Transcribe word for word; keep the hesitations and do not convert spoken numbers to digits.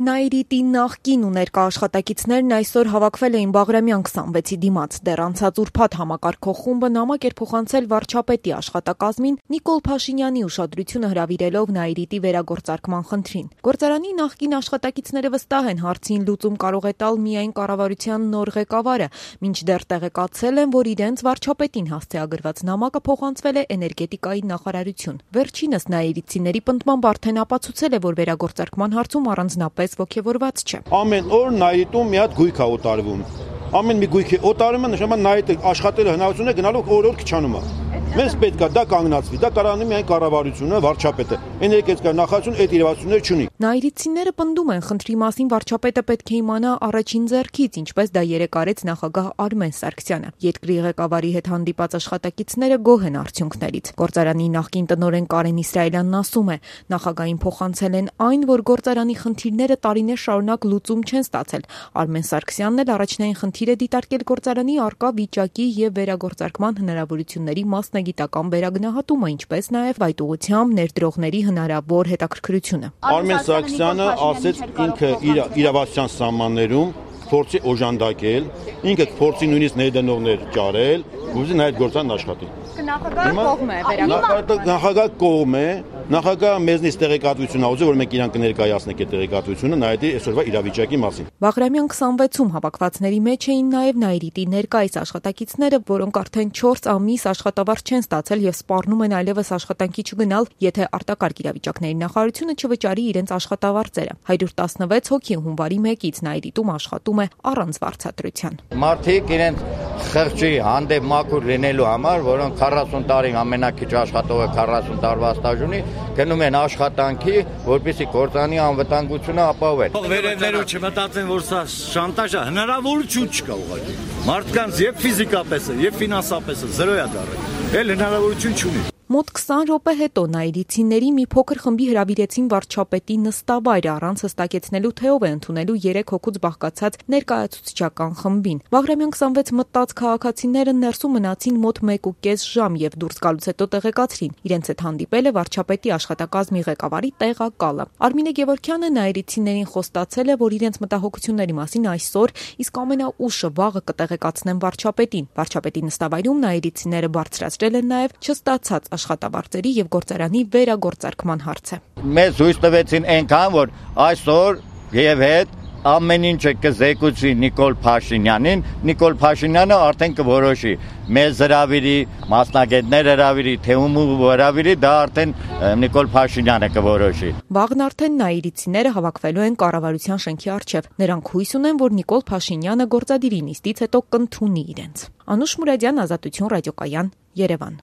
Նաիրիտի նախկին ու ներկա աշխատակիցներն այսօր հավաքվել էին Բաղրամյան քսանվեցի դիմաց։ Դեռ անցած ուրբաթ համակարգող խումբը նամակ էր փոխանցել վարչապետի աշխատակազմին Նիկոլ Փաշինյանի ուշադրությունը հրավիրելով Նաիրիտի վերագործարկման խնդրին։ Գործարանի նախկին աշխատակիցները վստահ են, հարցին լուծում կարող է տալ միայն կառավարության նոր ղեկավարը, մինչդեռ տեղեկացել են, որ իրենց վարչապետին հասցեագրված նամակը փոխանցվել է էներգետիկայի նախարարություն։ Վերջինս Նաիրիտցիների պնդմամբ արդեն ապացուցել է, որ վերագործարկման հարցում առանձնապես ոգևորված չէ։ Ամեն օր Նաիրիտում մի հատ գույք է օտարվում։ Ամեն մի գույքի օտարումը նշանակում է Նաիրիտը աշխատել հնարավորություն է գնալու օր-օր քչանում է։ Մեզ պետք է դա կանգնացվի, դա կարող է միայն կառավարությունը, վարչապետը, էներգետիկա նախարարությունը այդ իրավասությունները չունի։ Նաիրիտցիները պնդում են, խնդրի մասին վարչապետը պետք է իմանա առաջին ձեռքից, ինչպես դա երեկ արեց նախագահ Արմեն Սարգսյանը։ Երկրի ղեկավարի հետ հանդիպած աշխատակիցները գոհ են արդյունքներից։ Գործարանի նախկին տնօրեն Կարեն Իսրայելյանն ասում է, նախագահին փոխանցել են այն, որ գործարանի խնդիրները տարիներ շարունակ լուծում չեն ստացել։ Արմեն Սարգսյանն էլ առաջնային խնդիր է դիտարկել գործարանի առկա վիճակի եւ վերագործարկման հնարավորությունների մասնագիտական վերագնահատումը, ինչպես նաեւ այդ ուղղությամբ ներդրողների հնարավոր հետաքրքրությունը։ Արմեն Սարգսյանը ասեց ինքը իր իրավասության սահմաններում փորձի օժանդակել, ինքը փորձի նույնիսկ ներդնողներ ճարել, ուզի նա այդ գործան աշխատի։ Նախագահը կողմ է վերագործարկման։ Նախագահը կողմ է, նախագահը մեզնից տեղեկատվություն ա ուզում, որ մենք իրան կներկայացնենք այդ տեղեկատվությունը Նաիրիտի այսօրվա իրավիճակի մասին։ Բաղրամյան քսանվեցում հավաքվածների մեջ էին նաև Նաիրիտի ներկայիս աշխատակիցները, որոնք արդեն չորս ամիս աշխատավարձ չեն ստացել եւ սպառնում են այլևս աշխատանքի չգնալ, եթե արտակարգ իրավիճակների նախարարությունը չվճարի իրենց աշխատավարձերը։ հարյուր տասնվեց հոգի հունվարի մեկից Նաիրիտում աշխատում է առանց վարձատրության։ Մարդիկ իրենց խղճի հանդեպ մաքուր լինելու համար, որոնք քառասուն տարի ամենակիչ աշխատողը քառասուն տարվա ստաժ ունի, գնում են աշխատանքի, որպեսզի գործանի անվտանգությունը ապահովեն։ Վերևներու չմտածեն, որ սա շանտաժ է, հնարավորություն չկա ուղղակի։ Մարդկանց եւ ֆիզիկապես է, եւ ֆինանսապես է զրո է դառել։ Էլ հնարավորություն չունի։ Մոտ քսան րոպե հետո Նաիրիտցիների մի փոքր խմբի հրավիրեցին վարչապետի նստավայրը առանց հստակեցնելու թե ով է ընդունելու երեք հոգուց բաղկացած ներկայացուցչական խմբին։ Բաղրամյան քսանվեց մտած քաղաքացիները ներսում մնացին մոտ մեկ ու կես ժամ եւ դուրս գալուց հետո տեղեկացրին։ Իրենց հետ հանդիպել է վարչապետի աշխատակազմի ղեկավարի տեղակալը։ Արմինե Գևորգյանը Նաիրիտցիներին խոստացել է, որ իրենց մտահոգությունների մասին այսօր, իսկ ամենաուշը վաղը կտեղեկացնեն վարչապետին։ Վարչապետի նստավայրում Նաիրիտցիները բարձրացրել են նաեւ չստացած աշխատավարձերի եւ գործարանի վերագործարկման հարցը։ Մեզ հույս տվեցին այնքան, որ այսօր եւ հետ ամեն ինչը կզեկուցի Նիկոլ Փաշինյանին, Նիկոլ Փաշինյանը արդեն կորոշի։ Մեզ հրավիրի, մասնագետներ հրավիրի, թե ում հրավիրի, դա արդեն Նիկոլ Փաշինյանը կորոշի։ Վաղն արդեն Նաիրիտցիները հավաքվելու են կառավարության շենքի առջև։ Նրանք հույս ունեն, որ Նիկոլ Փաշինյանը գործադիրի նիստից հետո կընդունի իրենց։ Անուշ Մուրադյան, Ազատություն ռադիոկայան, Երևան։